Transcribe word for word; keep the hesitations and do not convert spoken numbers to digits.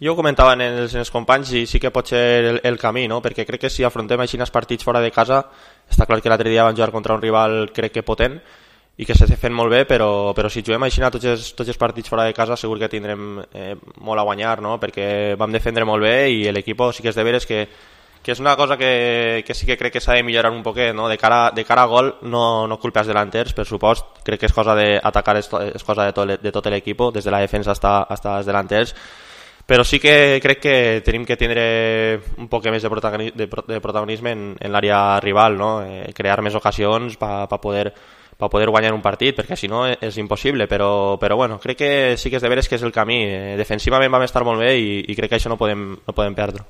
Jo ho comentava en els, en els companys i sí que pot ser el, el camí, no? Perquè crec que si afrontem així els partits fora de casa, està clar que l'altre dia van jugar contra un rival crec que potent i que s'està fent molt bé, però, però si juguem així a tots els, tots els partits fora de casa segur que tindrem eh, molt a guanyar, no? Perquè vam defendre molt bé i l'equip sí que és de veres que, que és una cosa que, que sí que crec que s'ha de millorar un poquet, no? De cara, de cara a gol no, no culpes delanters, per supost, crec que és cosa d'atacar, és, és cosa de tot, de tot l'equip, des de la defensa hasta, hasta els delanters, però sí que crec que tenim que tindre un poc més de, protagoni de, de protagonisme en, en l'àrea rival, no? Eh, crear més ocasions per pa poder, pa poder guanyar un partit, perquè si no és impossible, però, però bueno, crec que sí que és de veres que és el camí. Eh, defensivament vam estar molt bé i, i crec que això no podem, no podem perdre.